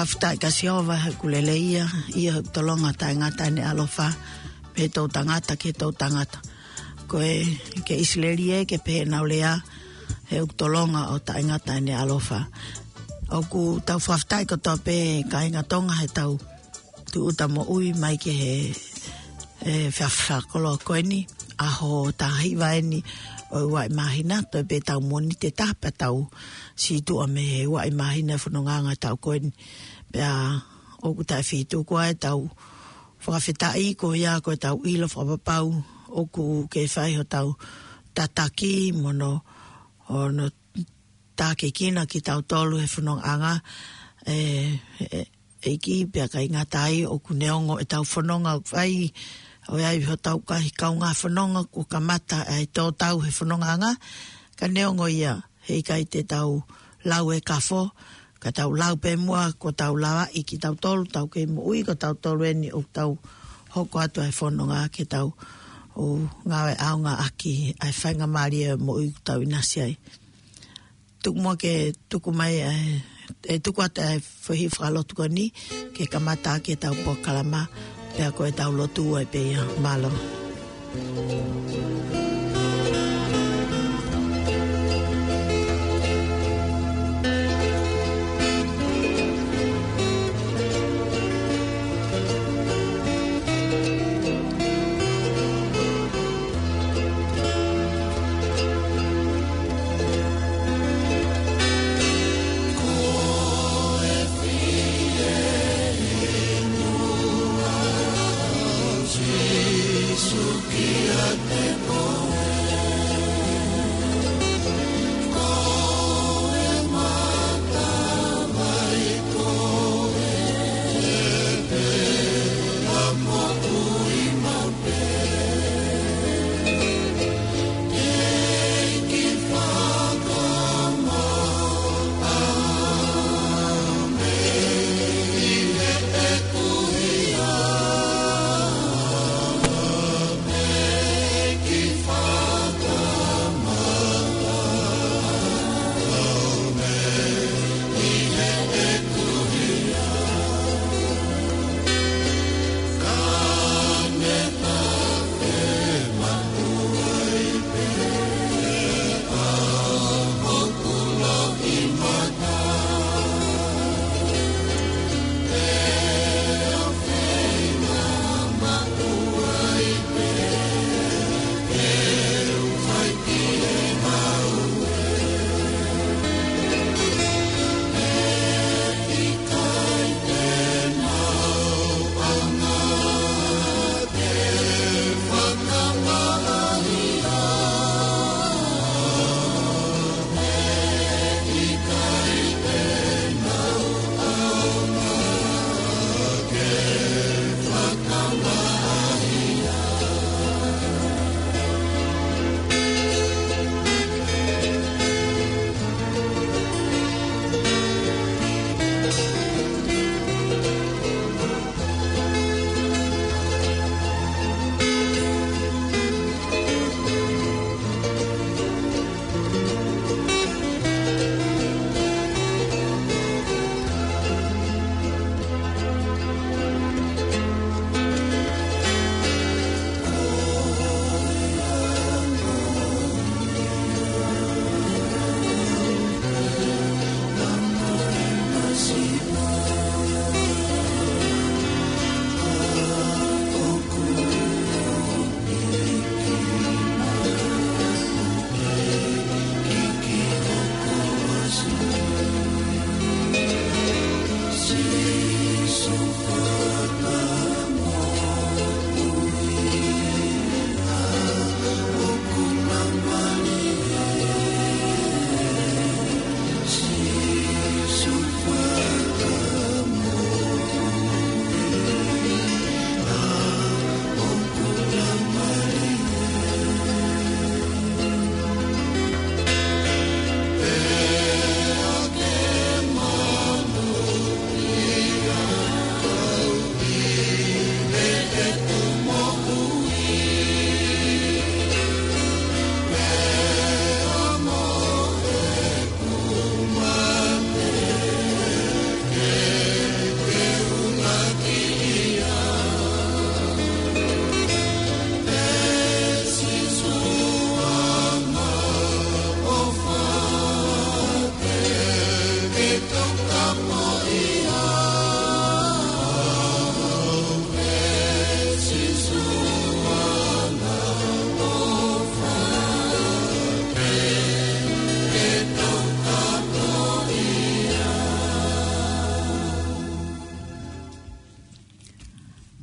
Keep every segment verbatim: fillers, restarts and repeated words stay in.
Fakafetaʻi kia Sihova he ʻoku lelei ia, ʻi heʻene tolonga taʻengata ʻene ʻaloʻofa, pea toʻutangata ki he toʻutangata. Ko e, ki ʻIsileli ē, ke pehē ʻenau lea, he ʻoku tolonga ʻo taʻengata ʻene ʻaloʻofa. ʻOku tau fakafetaʻi kotoa pē kāinga Tonga heʻetau tūʻuta moʻui mai ki he, e, efiafi fakakoloa ko eni, ʻaho taha hiva eni ʻo e ua ʻi māhina, toe pē ʻetau Mōnite taha pea tau sītuʻa mei he ua ʻi māhina e fonongaʻanga ʻetau ko eni. Pea ʻoku taʻefetuku ʻetau fakafetaʻi ko ia ko ʻetau ʻilo fakapapau ʻoku kei fai hotau tataki mo hono, hono tākiekina kitautolu he fonongaʻanga, e, e, ʻEiki, pea ʻikai ngata ai ʻoku neongo ʻetau fononga ʻoku fai, ʻoku ʻi ai hotau kahi kaungā fononga kuo kamata ʻa e tō tau he fonongaʻanga, ka neongo ia, heʻikai te tau lau e kafo, ka tau lau pē muʻa, ko ʻetau lavaʻi kitautolu, tau kei moʻui, ko tautolu eni ʻoku tau hoko atu ʻa e fononga ke tau ō ngāue ʻaonga ʻaki ʻa e faingamālie moʻui ʻoku tau ʻinasi ai. Tuku muʻa ke tuku mai ʻa e, e tuku atu ʻa e foʻi fakalotu ko eni, ke kamata ʻaki ʻetau polokalama, pea ko ʻetau lotu ai pē ia, mālō.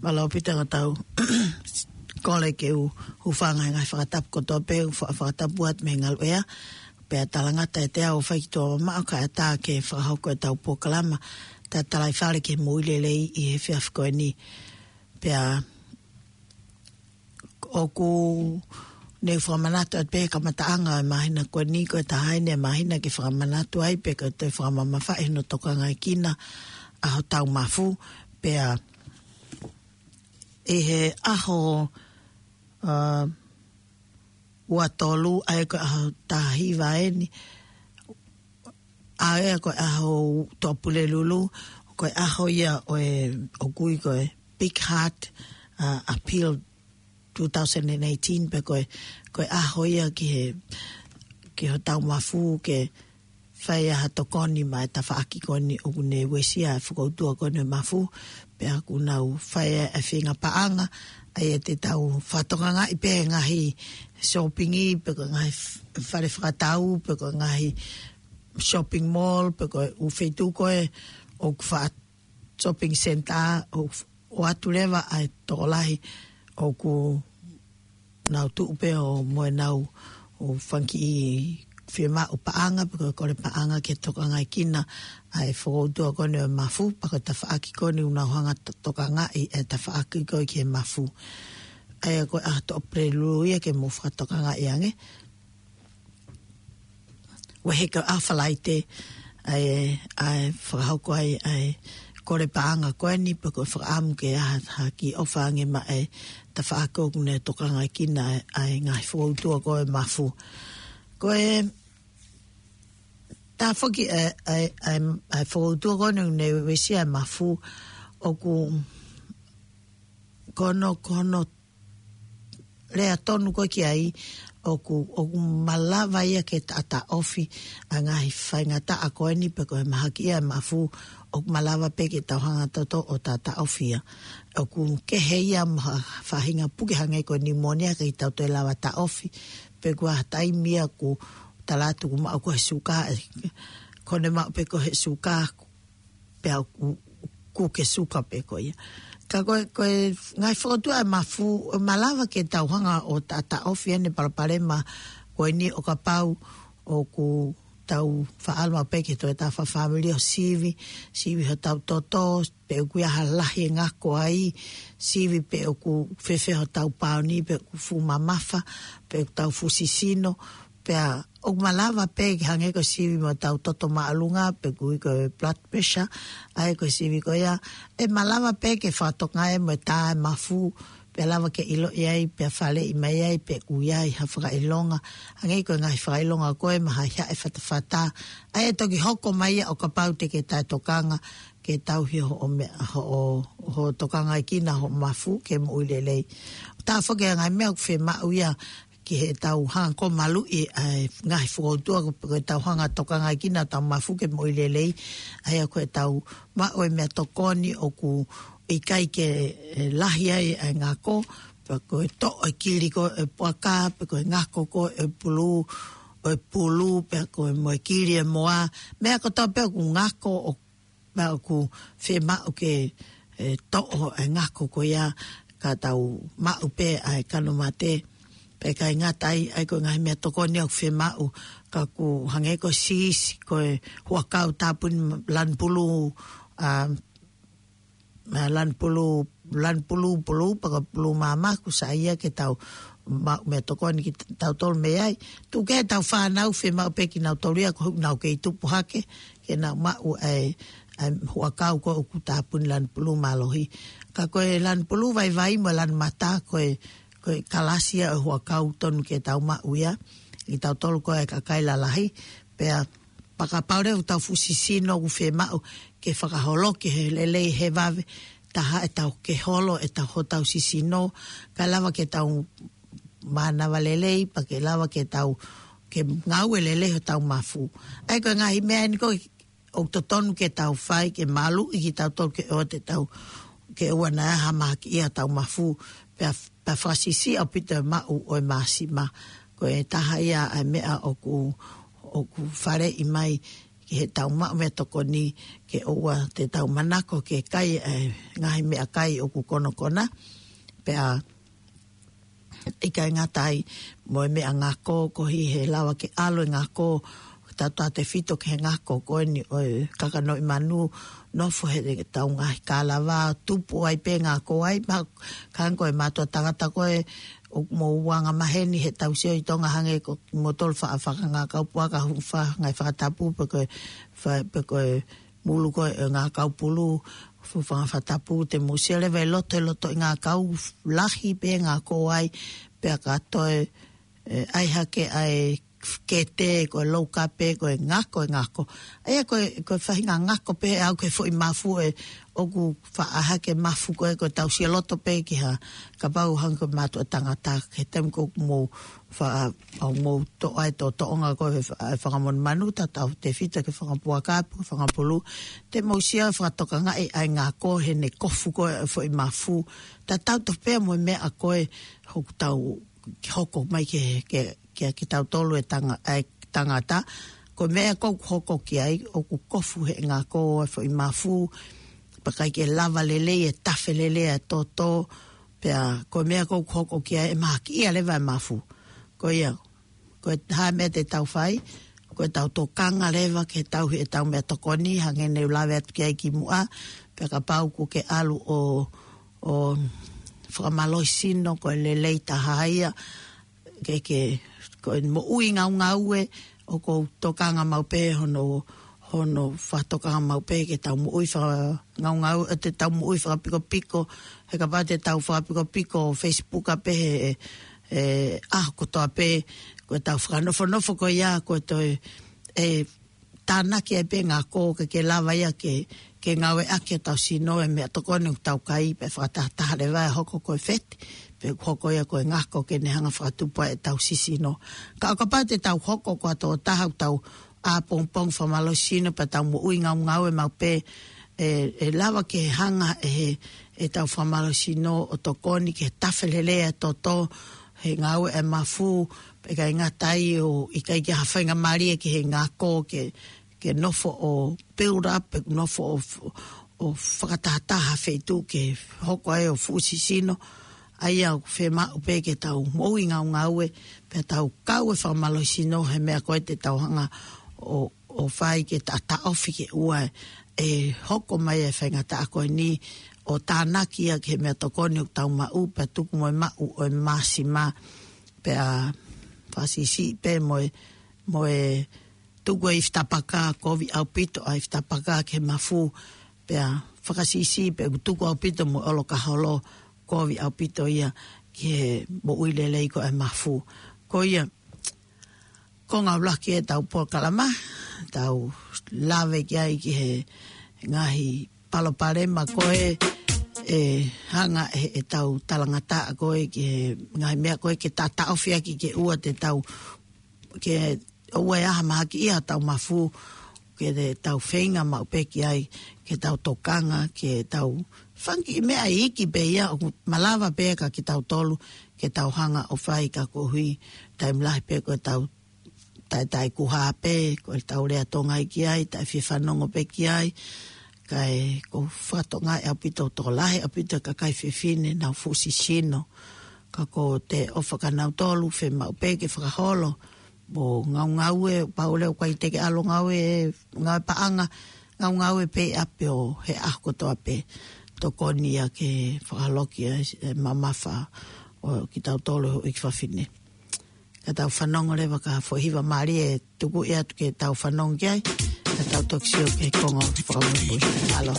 Mālō ʻaupito ʻetau kole ke u hūfanga he ngaahi fakatapu kotoa pē, fa-, fakatapu atu mei he ngaluʻea. Pea talangata ʻe te au fai ki tuʻa mamaʻo kae ʻatā ke fakahoko ʻetau polokalama Tatalaifale ki he Moʻui Lelei ʻi he efiafi ko eni. Pea ʻoku ne u fakamanatu atu pē he kamataʻanga ʻo e māhina ko eni, ko e taha eni e māhina ke fakamanatu ai pe ko e toe fakamamafaʻi hono tokangaekina ʻa hotau mafu. Pea ʻi he ʻaho, ā, ua tolu, ʻa ia ko e ʻaho taha hiva eni, ʻa ia ko e ʻaho Tuʻapulelulu, ko e ʻaho ia ʻo e, ʻoku ui ko e Big Heart, ā, Appeal two thousand and eighteen, pe ko e, ko e ʻaho ia ki he, ki hotau mafu ke fai ai ha tokoni maʻa e tafaʻaki ko eni ʻoku ne uesia e fokoutua ko eni ʻo e mafu. Pea ʻoku nau fai ai e feinga paʻanga, ʻa ia te tau fakatokangaʻi pē ngaahi sōpingi, pe ko e ngaahi f-, fale fakatau, pe ko e ngaahi shopping mall, pe ko e ʻū feituʻu ko ē ʻoku faʻa shopping centre, ʻo, ʻoatu leva ʻa e tokolahi ʻoku nau tuʻu pē ʻo mo ʻenau ʻū fanga kiʻi fiemaʻu paʻanga, pe ko e kole paʻanga ke tokangaekina ʻa e fokoutua ko eni ʻo e mafu, pe ko e tafaʻaki ko eni ʻoku nau hanga to-, tokangaʻi e tafaʻaki ko ē ki he mafu. ʻA ia ko e ʻaho Tuʻapulelulu ia ke mou fakatokangaʻi ange. Ua heka ʻa Falaite, ʻa e, ʻa e fakahoko ai ʻa e kole paʻanga ko eni, pe ko e fakaʻamu ke ʻai ha, ha kiʻi ʻofa ange maʻa e tafaʻaki ʻoku ne tokangaekina ʻa e, ʻa e ngaahi fokoutua ko ē ʻo e mafu. Ko e taha foki ʻa e, ʻa e, ʻa e, ʻa e fokoutua ko eni ʻoku ne uesia e mafu, ʻoku ko hono, ko hono lea tonu ko ē ki ai, ʻoku, ʻoku malava ia ke taʻataʻofi ʻa e ngaahi faingataʻa ko eni pe ko e mahaki ia e mafu, ʻoku malava pē ke tau hanga toto ʻo taʻataʻofi ia. ʻOku kehe ia mo ha faʻahinga puke hangē ko e pneumonia ʻikai ke tau toe lava taʻofi, pe ko ha taimi ia ʻoku tala atu ʻoku maʻu ko ē he suka, ē, ko ʻene maʻu pē ko ē he suka, pea ʻoku, ʻoku ke suka pē ko ia. Ka ko e, ko e ngaahi fokoutua e mafu, ʻoku malava ke tau hanga ʻo taʻataʻofi ʻene palopalema ko eni ʻo kapau ʻoku tau faʻa ʻalu maʻu pē ki he toe taha fāmili ʻo sivi, sivi hotau toto, pe ʻoku ʻi ai ha lahi ʻe ngako ai, sivi pe ʻoku fēfē hotau pāuni, pe ʻoku fuʻu mamafa, pe ʻoku tau fuʻu sisino, pea ʻoku malava pē ke hangē ko e sivi mo hotau toto māʻolunga, pe ʻoku ui ko e blood pressure, ʻa ia ko e sivi ko ia, ʻe malava pē ke fakatokangaʻi mo e tā e mafu, pea lava ke ʻiloʻi ai, pea faleʻi mai ai, pe ʻoku ʻi ai ha fakaʻilonga, hangē ko e ngaahi fakaʻilonga ko ē mahaʻihaʻi, fatafata, ʻa ia ʻe toki hoko mai ia ʻo kapau te ke taʻetokanga, ke tauhi hoʻo meʻa, hoʻo, hoʻo tokangaekina hoʻo mafu ke moʻui lelei. Taha foki e ngaahi meʻa ʻoku fiemaʻu ia ki heʻetau hanga ʻo maluʻi ʻa e ngaahi fokoutua ko ē ʻoku tau hanga ʻo tokangaekina hotau mafu ke moʻui lelei, ʻa ia ko ʻetau maʻu e meʻatokoni ʻoku ʻikai ke, ē, lahi ai ʻa e ngako, pe ko e toʻo e kili ko ē ʻo e puaka, pe ko e ngako ko ē ʻo e pulu, ʻo e pulu, pe ko e moʻua e kili ʻo e moa, meʻa kotoa pē ʻoku ngako ʻo pea ʻoku fiemaʻu ke, ē, toʻo e ngako ko ia ka tau maʻu pē ʻa e kano mate, pea ʻikai ngata ai, ʻa ia ko e ngaahi meʻatokoni ʻoku fiemaʻu, ka ʻoku hangē ko e siisi, ko e huʻakau tāpuni lanu pulu, ā, ā, lanu pulu, lanu pulu, pulu, pe ko e pulu māmā, ʻoku sai ia ke tau maʻu meʻatokoni kitautolu mei ai. Tuku kehe ʻetau fānau, fiemaʻu pē kinautolu ia, ko ʻenau kei tupu hake, ke nau maʻu ʻa e, ʻa e huʻakau ko ē ʻoku tāpuni lanu pulu mālohi. Ka ko e lanu pulu vaivai mo e lanu mata, ko e, ko e kalasi ia ʻo e huʻakau tonu ke tau maʻu ia, kitautolu ko ē kakai lalahi, pea pea kapau leva ʻoku tau fuʻu sisino ʻoku fiemaʻu ke fakaholoki he lelei he vave, taha ʻetau ke holo ʻetau hotau sisino, kae lava ke tau mānava lelei, pea ke lava ke tau, ke ngāue lelei hotau mafu. ʻA ia ko e ngaahi meʻa eni ko ē ʻoku totonu ke tau fai, ke maluʻi kitautolu ke ʻoua te tau, ke ʻoua naʻa hamakiʻia hotau mafu, pea, pea fakasiʻisiʻi ʻaupito e maʻu ʻo e māsima. Ko e taha ia ʻa e meʻa ʻoku, ʻoku faleʻi mai ki heʻetau maʻu meʻatokoni ke ʻoua te tau manako ke kai, ē, ngaahi meʻakai ʻoku konokona. Pea ʻikai ngata ai mo e meʻangako, koeʻuhi he lava ke ʻalu e ngako, tautautefito ki he ngako ko eni ʻo e kakanoʻi manu, nofo heʻetau ngaahi kalava, tupu ai pē ngako ai, ma-, ka ko e mātuʻa tangata ko ē, ʻoku mou anga maheni heʻetau sio ʻi Tonga hangē ko kimoutolu fa-, fakangākau puaka, hū fa-, ngaahi fakatapu, pe ko e fa-, pe ko e mulu ko ē ngākau pulu, fu-, fanga fakatapu, te mou sio leva ʻi loto, ʻi loto ʻi ngākau lahi pē ngako ai, pea ka toe, ē, ʻai hake ʻa e kete, ko e loukape, ko e ngako, e ngako. ʻA ia ko e, ko e faʻahinga ngako pē ʻe aʻu ki he foʻi mafu ē, ʻoku faʻa hake mafu ko ē, ko ʻetau sio loto pē ki ha, kapau hangē ko e mātuʻa tangata, ki he taimi ko ē ʻoku mou fa-, ʻoku mou toʻo ai e toʻotoʻonga ko ē he fa-, fanga monumanu, tautautefito ki he fanga puaka, pe ko e fanga pulu, te mou sio fakatokangaʻi ʻa e ngako heʻene kofu ko ē e foʻi mafu, tatau tofu pē mo e meʻa ko ē ʻoku tau hoko mai ke, ke, ke, kitautolu e tanga-, e tangata. Ko e meʻa ko ē ʻoku hoko ki ai, ʻoku kofu he ngako e foʻi mafu, pea ʻikai ke lava lelei e tafe lelei e toto, pea ko e meʻa ko ē ʻoku hoko ki ai ʻe mahakiʻia leva e mafu. Ko ia, ko e hā e meʻa te tau fai, ko ʻetau tokanga leva ke tauhi ʻetau meʻatokoni, hangē ne u lave atu ki ai kimuʻa, pea kapau ʻoku ke ʻalu ʻo, ʻo fakamālohisino, ko e lelei taha ia, ke, ke, ko e moʻui ngaungaue, ʻoku ou tokanga maʻu pē hono, hono fakatokanga maʻu pē ke tau moʻui fakangaungaue, ʻe te tau moʻui fakapikopiko, he kapau te tau fakapikopiko Facebook pē he, ē, ʻaho kotoa pē, ko ʻetau fakanofonofo ko ia, ko e toe, ē, tānaki ai pē ngako ke, ke lava ia ke, ke ngāueʻaki ʻetau sino e meʻatokoni ʻoku tau kai pea fakatahataha leva ʻe hoko ko e feti, pe ʻoku hoko ia ko e ngako ke ne hanga fakatupu ai ʻetau sisino. Ka ʻo kapau te tau hoko ko ha tokotaha ʻoku tau ʻā pongipongi fakamālohisino pea tau moʻui ngaungaue maʻu pē, ē, ʻe lava ke hanga ʻe he, ʻetau fakamālohisino ʻo tokoni ke tafe lelei e toto, he ngāue e mafu, pea ʻikai ngata ai ʻo ʻikai ke ha faingamālie ki he ngako ke, ke nofo ʻo build up, pe nofo ʻo, ʻo fakatahataha feituʻu ke hoko ai ʻo fuʻu sisino. ʻA ia ʻoku fiemaʻu pē ke tau moʻui ngaungaue, pea tau kau e fakamālohisino he meʻa ko ē te tau hanga ʻo, ʻo fai ke ta-, taʻofi ke ʻoua ʻe hoko mai e faingataʻa ko eni, ʻo tānaki ia ki he meʻatokoni ʻoku tau maʻu, pea tuku mo e maʻu ʻo e māsima, pea fakasiʻisiʻi pē mo e, mo e tuku e ifi tapaka, kovi ʻaupito ʻa e ifi tapaka ki he mafu, pea fakasiʻisiʻi pē ʻoku tuku ʻaupito mo e ʻolokaholo, kovi ʻaupito ia ki he moʻui lelei ko ē e mafu. Ko ia, ko e ngāue lahi ʻetau polokalama, tau lave ki ai ki he ngaahi palopalema ko ē ʻe hanga ʻe, ʻetau talangataʻa ko ē ki he ngaahi meʻa ko ē ke ta-, taʻofi ʻaki ke ʻoua te tau, ke ʻoua ʻe ʻi ai ha mahakiʻia ʻetau mafu, ke te tau feinga maʻu pē ki ai, ke tau tokanga, ke tau fanga kiʻi meʻa iiki pē ia ʻoku malava pē kia kitautolu, ke tau hanga ʻo fai ka koeʻuhi, taimi lahi pē ko ʻetau taʻetaʻekuha pē, ko ʻetau lea Tonga ia ki ai, taʻefiefanongo pē ki ai, kae ʻoku ou fakatokangaʻi ʻaupito, tokolahi ʻaupito e kakai fefine ʻoku nau fuʻu sisino, ka ko e ʻofa kia nautolu, fiemaʻu pē ke fakaholo, mo ngaungaue, pau leva ʻoku ʻikai te ke ʻalu ʻo ngāue, ngāue paʻanga, ngaungaue pē ʻi ʻapi ʻo he ʻaho kotoa pē, tokoni ia ke fakaholoki e, e mamafa ʻo kitautolu e houʻeiki fafine. Ka tau fanongo leva ki ha foʻi hiva mālie ʻe tuku atu ke tau fanongo ki ai, ka tau toki sio ki he konga fakamuimui. Mālō.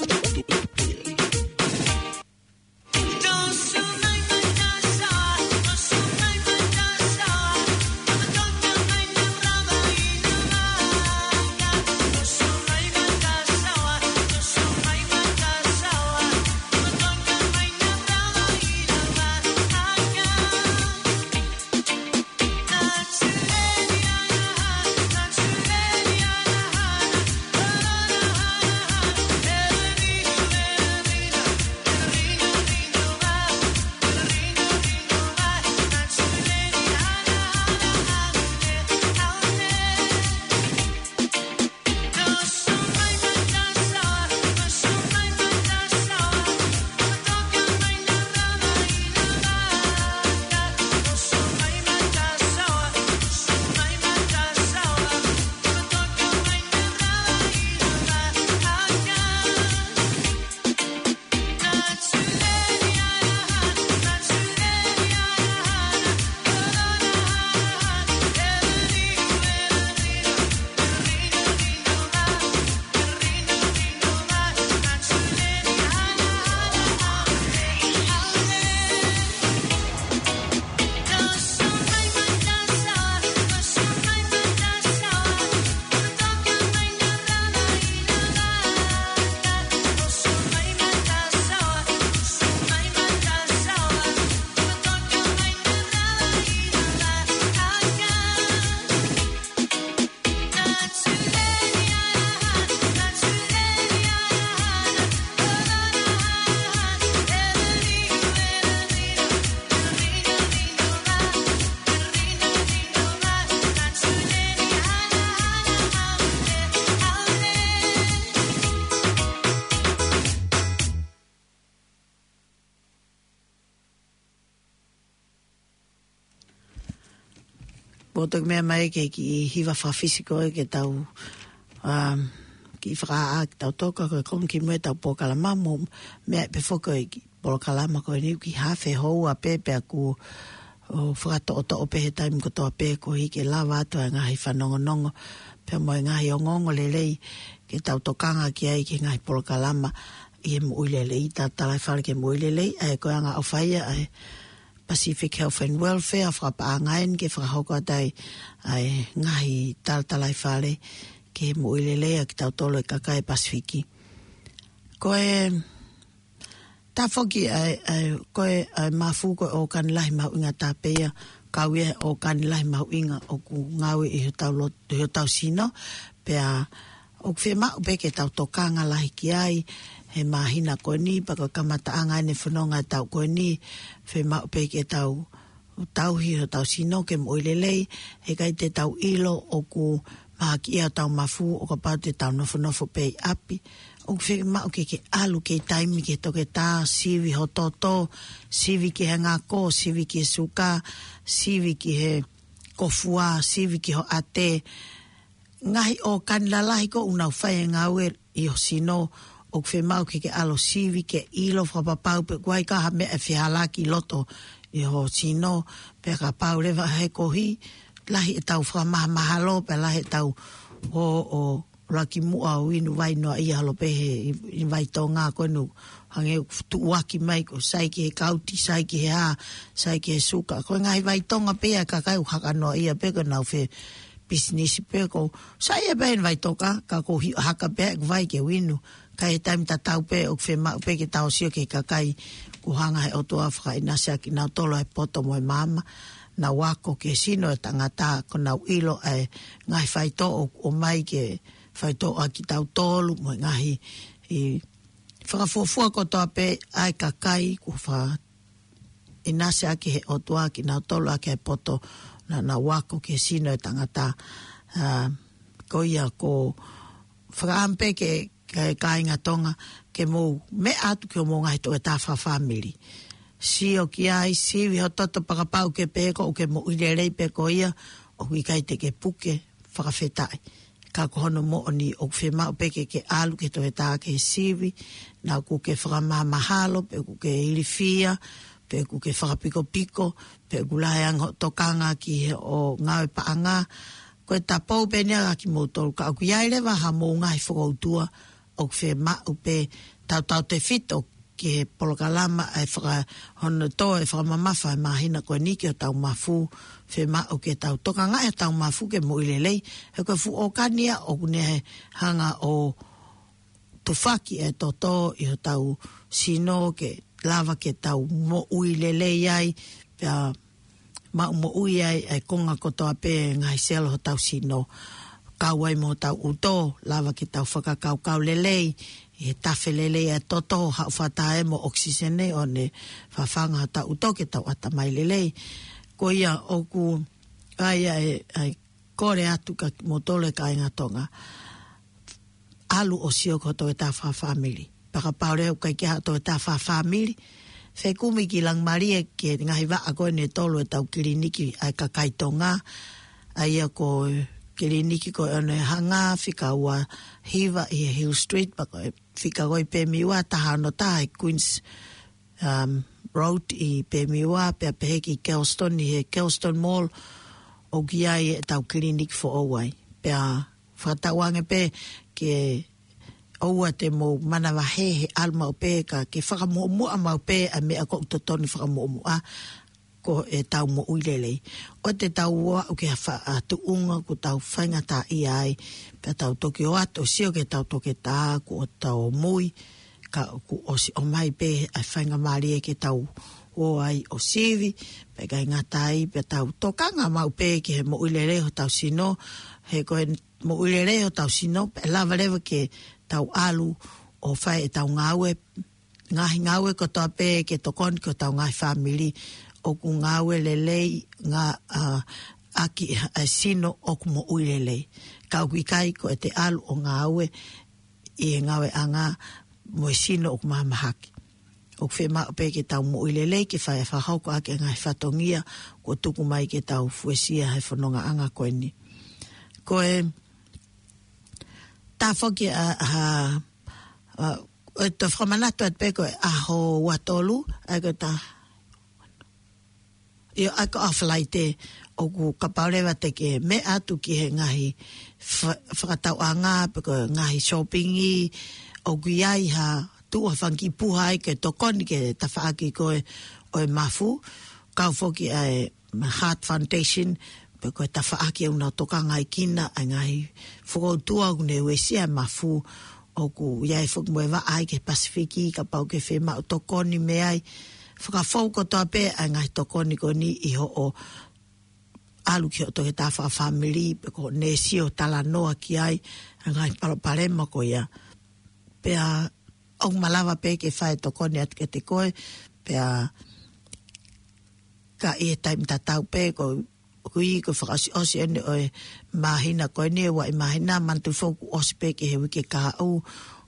Mo toki meʻa mai ki he kiʻi hiva fakafisi ko ē ke tau, um, kiʻi fakaʻā ke tau toka ko e konga kimuʻa ʻetau polokalama mo meʻa pē foki ko e kiʻi polokalama ko eni ʻoku kiʻi hafe houa pē pea ʻoku ou fakatoʻotoʻo pē he taimi kotoa pē koeʻuhi ke lava atu ʻa e ngaahi fanongonongo pea mo e ngaahi ongoongo lelei ke tau tokanga ki ai ki he ngaahi polokalama ʻi he moʻui lelei, talatalaifale ki he moʻui lelei, ʻa ia ko e anga ʻofa ia ʻa e Pacific Health and Welfare, fakapaʻanga eni ke fakahoko atu ai ʻa e ngaahi talatalaifale ki he moʻui lelei ʻa kitautolu e kakai Pasifiki. Ko e tafoki ʻa e, ʻa e, ko e, ʻa e mafu ko e ʻōkani lahi mahuʻinga taha pē ia, kau ia he ʻōkani lahi mahuʻinga ʻoku ngāue ʻi hotau lot-, ʻi hotau sino, pea ʻoku fiemaʻu pē ke tau tokanga lahi ki ai he māhina ko eni, pea ko e kamataʻanga eni e fononga ʻetau ko eni, fiemaʻu pē ke tau tauhi hotau sino ke moʻui lelei, he ʻikai te tau ʻilo ʻoku mahaki ia hotau mafu ʻo kapau te tau nofonofo pē ʻi ʻapi. ʻOku fiemaʻu ke ke ʻalu kei taimi ki he toketā, sivi ho toto, sivi ki he ngako, sivi ki he suka, sivi ki he kofua, sivi ki ho ʻate, ngaahi ʻōkani lalahi ko ē ʻoku nau fai e ngāue ʻi ho sino, ʻoku fiemaʻu ke ke ʻalu ʻo sivi ke ʻilo fakapapau pe ʻoku ʻikai ha meʻa ʻe fehālaaki ʻi loto ʻi ho sino, pea kapau leva he koeʻuhi, lahi ʻetau fakamahamahalo, pea lahi ʻetau ō ʻo ʻuluaki muʻa ʻo inu vai noaʻia holo pē he inu vai Tonga ko eni hangē ʻoku tuʻuaki mai ko e sai ki he kauti, sai ki he hā, sai ki he suka. Ko e ngaahi vai Tonga pē ia ʻa e kakai ʻoku haka noaʻia pē ko ʻenau fe pisinisi pē ko e sai ia pē inu vai Tonga, ka ko e hia haka pē ʻeku vai ke u inu. Ka ʻi he taimi tatau pē ʻoku fiemaʻu pē ke tau sio ki he kakai kuo hanga he ʻOtua ʻo fakaʻinasi ʻaki kinautolu ʻa e poto mo e maama, nau ako ki he sino ʻo e tangata, kuo nau ʻilo ʻa e ngaahi faitoʻo ʻoku ʻomai ke faitoʻo ʻa kitautolu mo e ngaahi ʻi fakafuofua kotoa pē ʻa e kakai kuo fakaʻinasi ʻaki he ʻOtua kinautolu ʻaki ʻa e poto naʻa nau ako ki he sino ʻo e tangata. ʻA, ko ia ʻoku fakaʻamu pē ke, ke kāinga Tonga ke mou meʻa atu ki hoʻomou ngaahi toketā fakafāmili. Sio ki ai, sivi ho toto pea kapau ʻoku ke pehē ʻoku ke moʻui lelei pē ko ia, ʻoku ʻikai te ke puke, fakafetaʻi. Ka ko hono moʻoni ʻoku fiemaʻu pē ke ke ʻalu ki he toketā ke sivi, naʻa ʻoku ke fakamahamahalo, pe ʻoku ke ilifia, pe ʻoku ke fakapikopiko, pe ʻoku lahi ange hoʻo tokanga ki he ʻo ngāue paʻanga. Ko e tapou pē eni ia kiate kimoutolu, ka ʻoku ʻi ai leva haʻamou ngaahi fokoutua, ʻoku fiemaʻu pē tautautefito ki he polokalama ʻa e faka-, hono tō e fakamamafa ʻa e māhina ko eni ki hotau mafu, fiemaʻu ke tau tokangaʻi hotau mafu ke moʻui lelei. He ko e fuʻu ʻōkani ia ʻoku ne hanga ʻo tufaki e toto ʻi hotau sino ke lava ke tau moʻui lelei ai, pea maʻu moʻui ai e konga kotoa pē ngaahi selo hotau sino. Kau ai mo hotau ʻuto, lava ke tau fakakaukau lelei, ʻi he tafe lelei e toto, haʻu fakataha mo ʻokisisene ʻo ne fafanga hotau ʻuto ke tau ʻatamai lelei. Ko ia ʻoku ʻai ʻa e, ʻa e kole atu kiate kimoutolu e kāinga Tonga. ʻAlu ʻo sio ki ho toketā fakafāmili. Pea kapau leva ʻoku ʻikai ke ʻi ai haʻo toketā fakafāmili, fekumi ki Langimalie ki he ngaahi vaʻa ko eni ʻe tolu ʻetau kiliniki ʻa e kakai Tonga. ʻA ia ko e kiliniki ko ē ʻo Onehunga, fika ua hiva ʻi he Hill Street, pea ko e fika ko ē ʻi Pemiwa, taha ono taha ʻi Queens, um, Road ʻi Pemiwa, pea pehē ki Kelston ʻi he Kelston Mall, ʻoku ʻi ai ʻetau kiliniki foʻou ai. Pea fakatauange pē ke ʻoua te mou manavahē he ʻalu maʻu pē ka ke fakamuʻomuʻa maʻu pē ʻa e meʻa ʻoku totonu fakamuʻomuʻa ko ʻetau moʻui lelei. ʻOua te tau ō ʻo aʻu ki ha fa-, ha tuʻunga ʻoku tau faingataʻaʻia ai, pea tau toki ō atu ʻo sio ki heʻetau toketā kuo tau mui, ka kuo ʻosi ʻomai pē ʻa e faingamālie ke tau ō ai ʻo sivi, pea ʻikai ngata ai, pea tau tokanga maʻu pē ki he moʻui lelei hotau sino, he ko e moʻui lelei hotau sino, pea lava leva ke tau ʻalu ʻo fai ʻetau ngāue, ngaahi ngāue kotoa pē ke tokoni ki hotau ngaahi fāmili, ʻoku ngāue lelei ngā, ʻa, ʻaki ʻa e sino ʻoku moʻui lelei. Ka ʻoku ʻikai ko ʻete ʻalu ʻo ngāue ʻi he ngāueʻanga mo e sino ʻoku mahamahaki. ʻoku fiemaʻu pē ke tau moʻui lelei, ke fai fakahoko ʻaki e ngaahi fatongia kuo tuku mai ke tau fuesia he fonongaʻanga ko eni. Ko e tā foki ʻa, ʻa, ʻa, ʻo e toe fakamanatu atu pē ko e ʻaho ua tolu, ʻa ia ko e tā, ʻio, ʻa ia ko e ʻaho Falaite, ʻoku kapau leva te ke meʻa atu ki he ngaahi fa-, fakatauʻanga, pe ko e ngaahi shopping ʻoku ʻi ai ha tuʻu ha fanga kiʻi puha ai ke tokoni ki he tafaʻaki ko ē ʻo e mafu, kau foki ʻa e Heart Foundation, pe ko e tafaʻaki ʻoku nau tokangaʻi kina ʻa e ngaahi fokoutua ʻoku ne uesia e mafu, ʻoku ʻi ai foki mo e vaʻa ai ki he Pasifiki, kapau ʻoku ke fiemaʻu tokoni mei ai. Fakafou kotoa pē ʻa e ngaahi tokoni ko eni ʻi hoʻo ʻalu ki hoʻo toketā fakafāmili, pe ko e neesi ʻo talanoa ki ai, ʻa e ngaahi palopalema ko ia. Pea ʻoku malava pē ke fai tokoni atu kiate koe, pea ka ʻi he taimi tatau pē, ko, ko e, ko e fakaʻosiʻosi eni ʻo e māhina ko eni, ʻe ua ʻi māhina, manatu foki ʻosi pē ki he uike kahaʻu,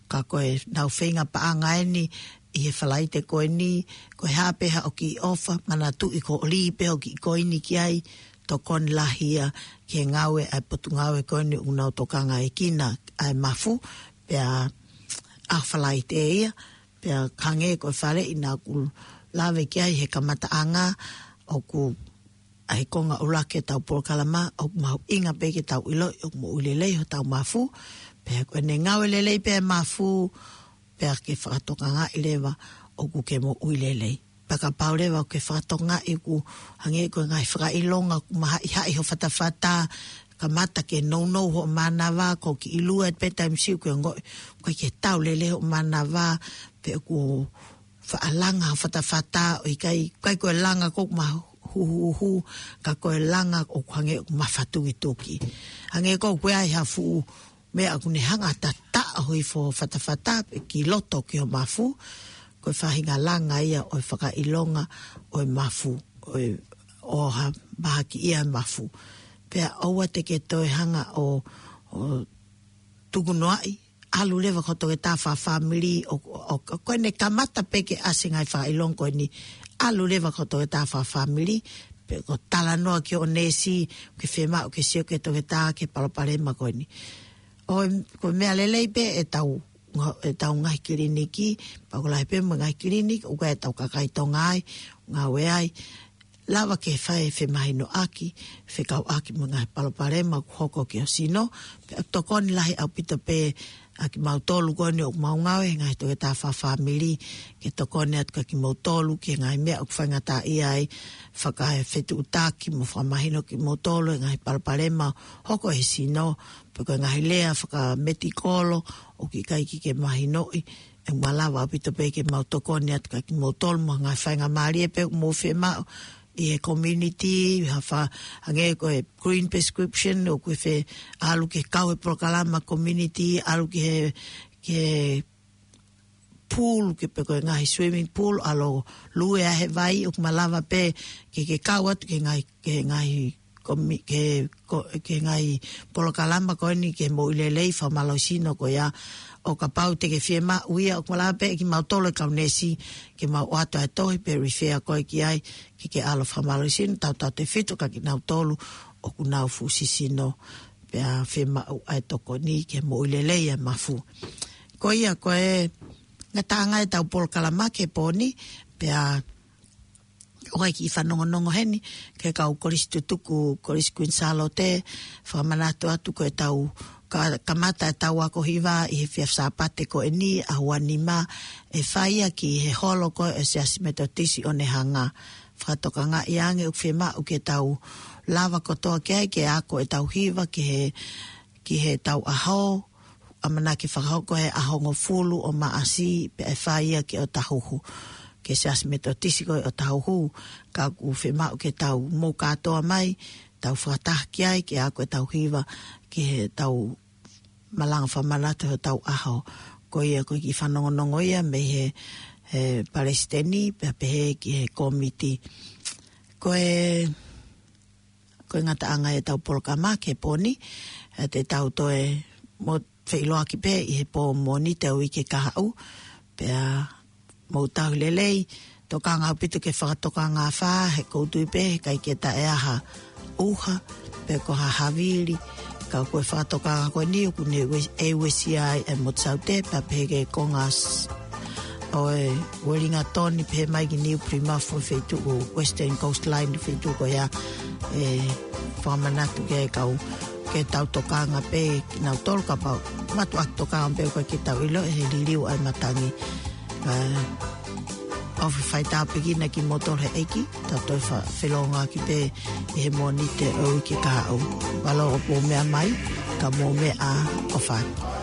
ka ko e nau feinga paʻanga eni ʻi he Falaite ko eni, ko e hā pē haʻo kiʻi ʻofa, manatuʻi ko e lī pē hoʻo kiʻi koini ki ai, tokoni lahi ia ki he ngāue ʻa e potungāue ko eni ʻoku nau tokangaʻi kina ʻa e mafu, pea ʻaho Falaite ia, pea hangē ko e faleʻi naʻa ku lave ki ai he kamataʻanga, ʻoku ʻa e konga ʻuluaki ʻetau polokalama, ʻoku mahuʻinga pē ke tau ʻiloʻi ʻoku moʻui lelei hotau mafu, pea ko ʻene ngāue lelei pē e mafu, pea ke fakatokangaʻi leva ʻoku ke moʻui lelei. Pea kapau leva ʻoku ke fakatokangaʻi ʻoku hangē ko e ngaahi fakaʻilonga ʻoku mahaʻihaʻi ho fatafata, kamata ke nounou hoʻo mānava, ko e kiʻi lua pē taimi siʻi ʻoku ke ongoʻi ʻoku ʻikai ke tau lelei hoʻo mānava, pe ʻoku faʻa langa ho fatafata, ʻo ʻikai, ʻikai ko e langa ʻoku mahuhuhu, ka ko e langa ʻoku hangē ʻoku mafatukituki. Hangē ko ē ʻoku ʻi ai ha fuʻu meʻa ʻoku ne hanga ʻo tataʻo hifo ho fatafata, pe ki loto ki ho mafu, ko e faʻahinga langa ia ʻo e fakaʻilonga ʻo e mafu, ʻo e, ʻo ha mahaki ia e mafu. Pea ʻoua te ke toe hanga ʻo, ʻo tukunoaʻi, ʻalu leva ki ho toketā fakafāmili, ʻo, ʻo, ʻo, ko ʻene kamata pē ke ʻasi e ngaahi fakaʻilonga ko eni, ʻalu leva ki ho toketā fakafāmili, pe ko e talanoa ki hoʻo neesi, ke fiemaʻu ke sio ki he toketā ki he palopalema ko eni. ʻO e, ko e meʻa lelei pē ʻetau, ʻetau ngaahi kiliniki, pea ʻoku lahi pē mo e ngaahi kiliniki ʻoku ʻi ai ʻetau kakai Tonga ai, ngāue ai, lava ke fai e femahinoʻaki, fekauʻaki mo e ngaahi palopalema ʻoku hoko ki ho sino, pea ʻoku tokoni lahi ʻaupito pē ʻa kimautolu ko eni ʻoku mau ngāue he ngaahi toketā fakafāmili, ke tokoni atu kia kimoutolu ki he ngaahi meʻa ʻoku faingataʻaʻia ai, fakaefetuʻutaki mo fakamahino kia kimoutolu e ngaahi palopalema hoko he sino, pe ko e ngaahi lea fakametikolo ʻoku ʻikai ke ke mahinoʻi, ʻe malava ʻaupito pē ke mau tokoni atu kia kimoutolu mo e ngaahi faingamālie pē ʻoku mou fiemaʻu ʻi he community, ha fa-, hangē ko e green prescription, ʻoku ke fie ʻalu ke kau he polokalama community, ʻalu ki he, ki he pool, ke pe ko e ngaahi swimming pool, ʻalu ʻo lue ai he vai, ʻoku malava pē ke ke kau atu ki he ngaahi, ki he ngaahi komi-, ki he ko-, ki he ngaahi polokalama ko eni ki he moʻui lelei fakamālohisino ko ia. ʻO kapau te ke fiemaʻu ia, ʻoku malava pē kimautolu e kau neesi ke mau ʻoatu ʻa e tohi pe refer koe ki ai, ke ke ʻalu fakamālohisino, tautautefito kia kinautolu ʻoku nau fuʻu sisino, pea fiemaʻu ʻa e tokoni ki he moʻui lelei ʻa e mafu. Ko ia, ko e ngataʻanga ʻetau polokalama ki he pō ni, pea ʻoku ʻi ai e kiʻi fanongonongo heni, ki he kau kolisi tutuku, Kolisi Kuini Sālote, fakamanatu atu ko ʻetau ka-, kamata ʻetau ako hiva ʻi he efiafi Sāpate ko eni, ʻaho ua nima, ʻe fai ia ki he holo ko ē ʻo e Siasi Metotisi ʻOnehunga. Fakatokangaʻi ange ʻoku fiemaʻu ke tau lava kotoa ki ai ke ako ʻetau hiva ki he, ki heʻetau ʻaho, ʻamanaki fakahoko he ʻaho hongofulu ʻo Maʻasi, pea ʻe fai ia ki ʻOtahuhu, ki he Siasi Metotisi ko ē ʻOtahuhu, ka ʻoku fiemaʻu ke tau mou kātoa mai, tau fakataha ki ai, ke ako ʻetau hiva, ki heʻetau malanga fakamanatu hotau ʻaho. Ko ia ko e kiʻi fanongonongo ia mei he, he palesiteni, pea pehē ki he kōmiti. Ko e, ko e ngataʻanga ʻetau polokalama ki he pō ni, ʻe te tau toe mo feʻiloaki pē ʻi he pō Mōnite ʻo e uike kahaʻu, pea Mou tauhi lelei, tokanga ʻaupito ki he fakatokanga afā, he ʻoku ou tui pē, ʻikai ke taʻeʻaonga ha ʻuha, pe ko ha havili, ka ko e fakatokanga ko eni ʻoku ne ue-, ʻe uesia ai e motu Saute, pea pehē ki he konga s-, ʻo e Wellington, pehē mai ki New Plymouth, ʻo e feituʻu Western Coast Line, feituʻu ko ia, ʻe fakamanatu ki he kau, ke tau tokanga pē, kinautolu kapau, mātuʻaki tokanga pē ʻoku ʻikai ke tau ʻilo, ʻe he liliu ʻa e matangi. ʻA, ʻofa fai tāpuekina kimoutolu he ʻEiki, tau toe fa-, felōngoaki pē ʻi he Mōnite ʻo e uike kahaʻu. Mālō ʻaupito hoʻomou meʻa mai, ka mou meʻa ʻofa atu.